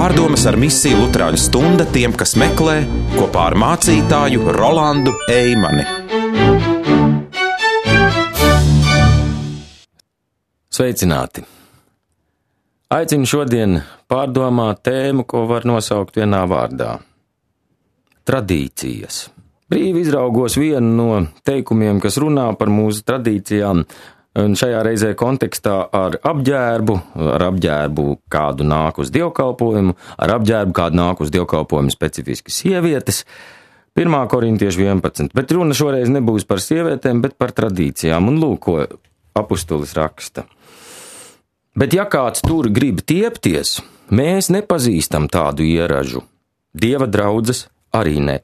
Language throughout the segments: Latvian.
Pārdomas ar misiju Luterāņu stunda tiem, kas meklē, kopā ar mācītāju Rolandu Eimani. Sveicināti! Aicinu šodien pārdomāt tēmu, ko var nosaukt vienā vārdā – tradīcijas. Brīvi izraugos vienu no teikumiem, kas runā par mūsu tradīcijām, un šajā reizē kontekstā ar apģērbu kādu nāk uz dievkalpojumu, ar apģērbu kādu nāk uz dievkalpojumu specifiski sievietes. 1. Korintiešu 11, bet runa šoreiz nebūs par sievietēm, bet par tradīcijām, un lūk, ko apustulis raksta. Bet ja kāds tur grib tiepties, mēs nepazīstam tādu ieražu. Dieva draudzes arī ne.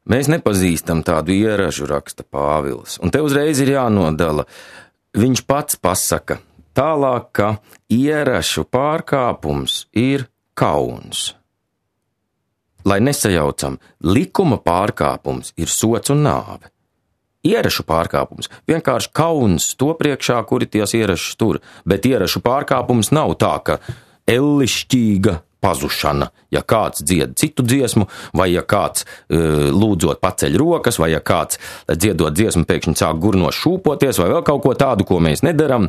Mēs nepazīstam tādu ieražu, raksta Pāvils, un te uzreiz ir jānodala. Viņš pats pasaka tālāk, ka ierašu pārkāpums ir kauns. Lai nesajaucam, likuma pārkāpums ir sots un nāve. Ierašu pārkāpums vienkārši kauns to priekšā, kuri ties ierašus tur, bet ierašu pārkāpums nav tā, ka ellišķīga pazušana, ja kāds dzied citu dziesmu, vai ja kāds lūdzot paceļ rokas, vai ja kāds dziedot dziesmu pēkšņi sāk gurnos šūpoties, vai vēl kaut ko tādu, ko mēs nedaram.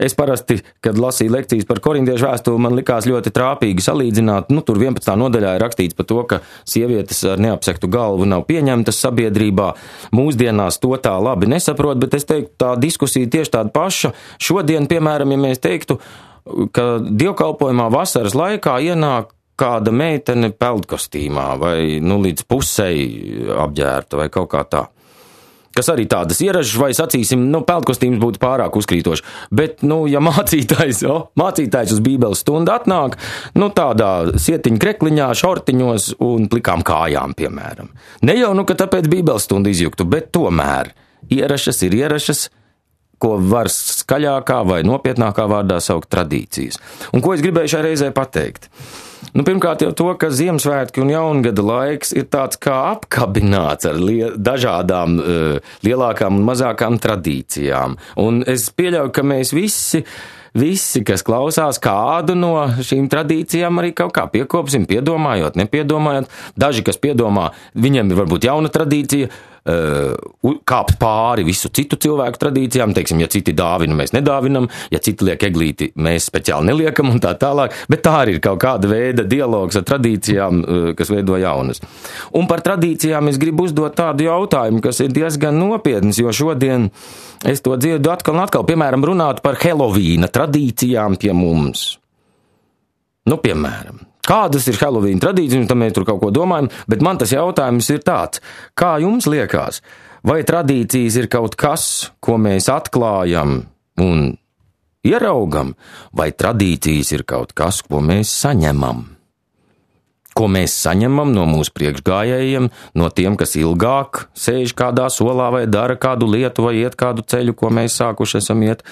Es parasti, kad lasīju lekcijas par korintiešu vēstuli, man likās ļoti trāpīgi salīdzināt, tur 11. nodaļā ir rakstīts par to, ka sievietes ar neapsektu galvu nav pieņemtas sabiedrībā. Mūsdienās to tā labi nesaprot, bet es teiktu, tā diskusija tieši tāda paša. Šodien, piemēram, ja mēs teiktu, ka dievkalpojumā vasaras laikā ienāk kāda meitene peldkostīmā vai līdz pusei apģērta vai kaut kā tā. Kas arī tādas ieražas, vai sacīsim, peldkostīms būtu pārāk uzkrītoši. Bet, ja mācītājs uz bībeles stundu atnāk, tādā sietiņa krekliņā, šortiņos un plikām kājām, piemēram. Ne jau, ka tāpēc bībeles stundu izjuktu, bet tomēr ierašas ir ierašas, ko var skaļākā vai nopietnākā vārdā saukt tradīcijas. Un ko es gribēju šai reizē pateikt? Pirmkārt jau to, ka Ziemassvētki un Jaungada laiks ir tāds kā apkabināts ar dažādām lielākām un mazākām tradīcijām. Un es pieļauju, ka mēs visi, kas klausās kādu no šīm tradīcijām, arī kaut kā piekopsim, piedomājot, nepiedomājot. Daži, kas piedomā, viņiem ir varbūt jauna tradīcija, kāpt pāri visu citu cilvēku tradīcijām, teiksim, ja citi dāvina, mēs nedāvinam, ja citi liek eglīti, mēs speciāli neliekam un tā tālāk, bet tā arī ir kaut kāda veida dialogs ar tradīcijām, kas veido jaunas. Un par tradīcijām es gribu uzdot tādu jautājumu, kas ir diezgan nopietns, jo šodien es to dzirdu atkal un atkal, piemēram, runāt par Helovīna tradīcijām pie mums. Piemēram. Kādas ir Helovīna tradīcijas, un tam mēs tur kaut ko domājam, bet man tas jautājums ir tāds, kā jums liekas, vai tradīcijas ir kaut kas, ko mēs atklājam un ieraugam, vai tradīcijas ir kaut kas, ko mēs saņemam? Ko mēs saņemam no mūsu priekšgājējiem, no tiem, kas ilgāk sēž kādā solā vai dara kādu lietu vai iet kādu ceļu, ko mēs sākuši esam iet?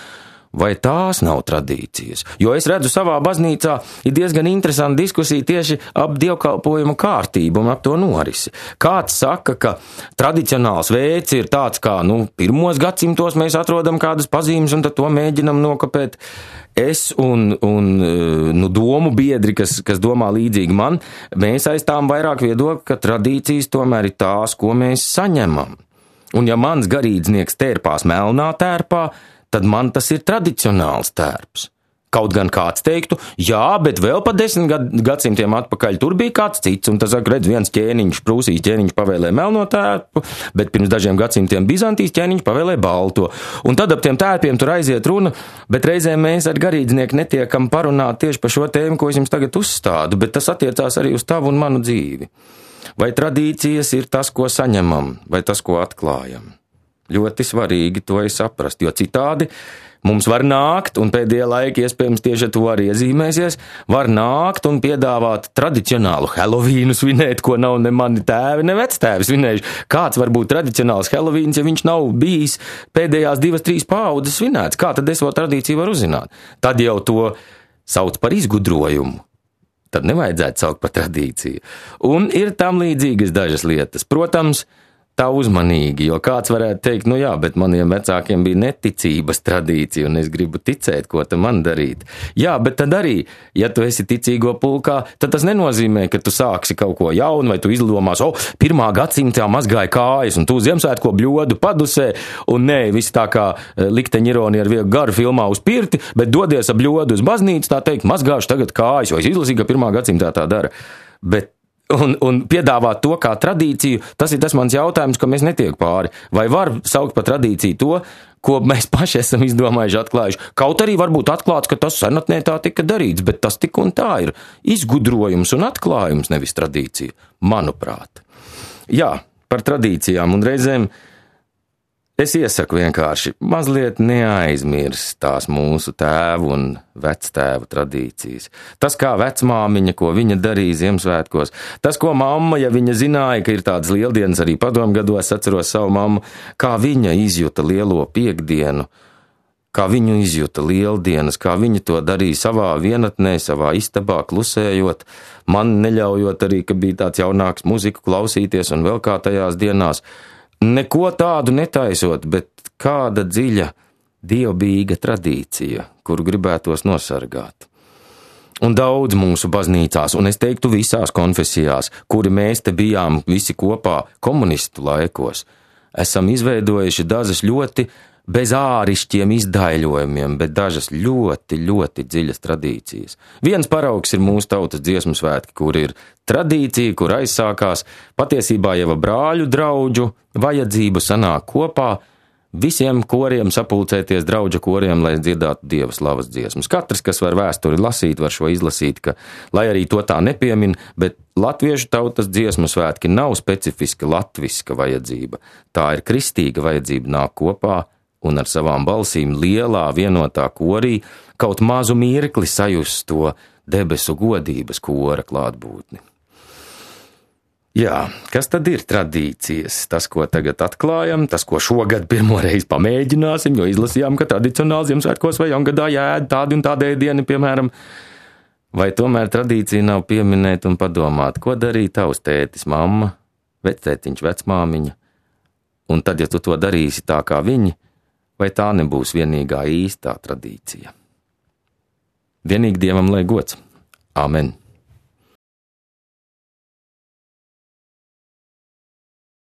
Vai tās nav tradīcijas? Jo es redzu savā baznīcā ir diezgan interesanta diskusija tieši ap dievkalpojumu kārtību un ap to norisi. Kāds saka, ka tradicionāls veids ir tāds, kā, 1. gadsimtos mēs atrodam kādas pazīmes un tad to mēģinam nokopēt. Es un domu biedri, kas domā līdzīgi man, mēs aizstām vairāk viedokli, ka tradīcijas tomēr ir tās, ko mēs saņemam. Un ja mans garīdznieks tērpās melnā tērpā, tad man tas ir tradicionāls tērps. Kaut gan kāds teiktu, jā, bet vēl pa 10 gadsimtiem atpakaļ tur bija kāds cits, un tas, redz, viens ķēniņš, Prūsijas ķēniņš pavēlē melno tērpu, bet pirms dažiem gadsimtiem Bizantijas ķēniņš pavēlē balto. Un tad ap tiem tērpiem tur aiziet runa, bet reizēm mēs ar garīdznieku netiekam parunāt tieši par šo tēmu, ko es jums tagad uzstādu, bet tas attiecās arī uz tavu un manu dzīvi. Vai tradīcijas ir tas, ko saņemam, vai tas, ko atklājam? Ļoti svarīgi to saprast, jo citādi mums var nākt, un pēdējā laika iespējams tieši to arī iezīmēsies, var nākt un piedāvāt tradicionālu Helovīnu svinēt, ko nav ne mani tēvi, ne vectēvi svinējuši. Kāds var būt tradicionāls Helovīns, ja viņš nav bijis pēdējās 2-3 paaudzes svinēts? Kā tad es šo tradīciju varu uzzināt? Tad jau to sauc par izgudrojumu. Tad nevajadzētu saukt par tradīciju. Un ir tam līdzīgas dažas lietas. Protams, tā uzmanīgi, jo kāds varētu teikt, nu jā, bet maniem vecākiem bija neticības tradīcija, un es gribu ticēt, ko tam man darīt. Jā, bet tad arī, ja tu esi ticīgo pulkā, tad tas nenozīmē, ka tu sāksi kaut ko jaunu, vai tu izdomās, 1. gadsimtā mazgāja kājas, un tu Ziemassvētko bļodu padusē, un nē, viss tā kā likteņa ironija ar vieglu garu filmā uz pirti, bet dodies ar bļodu uz baznīcu, tā teikt, mazgāšu tagad kājas, jo es izlasīju, ka 1. gadsimtā tā dara. Bet Un piedāvāt to kā tradīciju, tas ir tas mans jautājums, ka mēs netiek pāri. Vai var saukt par tradīciju to, ko mēs paši esam izdomājuši, atklājuši? Kaut arī varbūt atklāts, ka tas senatnē tā tika darīts, bet tas tik un tā ir izgudrojums un atklājums, nevis tradīcija, manuprāt. Jā, par tradīcijām un reizēm es iesaku vienkārši mazliet neaizmirst tās mūsu tēvu un vectēvu tradīcijas. Tas, kā vecmāmiņa, ko viņa darīja Ziemassvētkos, tas, ko mamma, ja viņa zināja, ka ir tādas lieldienas arī padomgados, atceros savu mammu, kā viņa izjuta lielo piekdienu, kā viņu izjuta lieldienas, kā viņa to darīja savā vienatnē, savā istabā klusējot, man neļaujot arī, ka bija tāds jaunāks muziku klausīties un vēl kā tajās dienās. Neko tādu netaisot, bet kāda dziļa, dievbijīga tradīcija, kuru gribētos nosargāt. Un daudz mūsu baznīcās, un es teiktu visās konfesijās, kuri mēs te bijām visi kopā komunistu laikos, esam izveidojuši dažas ļoti bez ārišķiem izdaiļojumiem, bet dažas ļoti, ļoti dziļas tradīcijas. Viens paraugs ir mūsu tautas dziesmu svētki, kur ir tradīcija, kur aizsākās patiesībā jau brāļu draudžu vajadzību sanāk kopā, visiem koriem sapulcēties draudža koriem, lai dziedātu Dieva slavas dziesmas. Katrs, kas var vēsturi lasīt, var šo izlasīt, ka, lai arī to tā nepiemin, bet latviešu tautas dziesmu svētki nav specifiska latviska vajadzība. Tā ir kristīga vajadzība nāk kopā un ar savām balsīm lielā vienotā korī kaut mazu mirkli sajust to debesu godības kora klātbūtni. Jā, kas tad ir tradīcijas? Tas, ko tagad atklājam, tas, ko šogad pirmoreiz pamēģināsim, jo izlasījām, ka tradicionāli Ziemassvētkos vai jaungadā jāēd tādi un tādi ēdieni, piemēram, vai tomēr tradīcija nav pieminēt un padomāt, ko darīja tavs tētis, mamma, vectētiņš, vecmāmiņa, un tad, ja tu to darīsi tā kā viņi, vai tā nebūs vienīgā īstā tradīcija? Vienīgi Dievam lai gods. Āmen.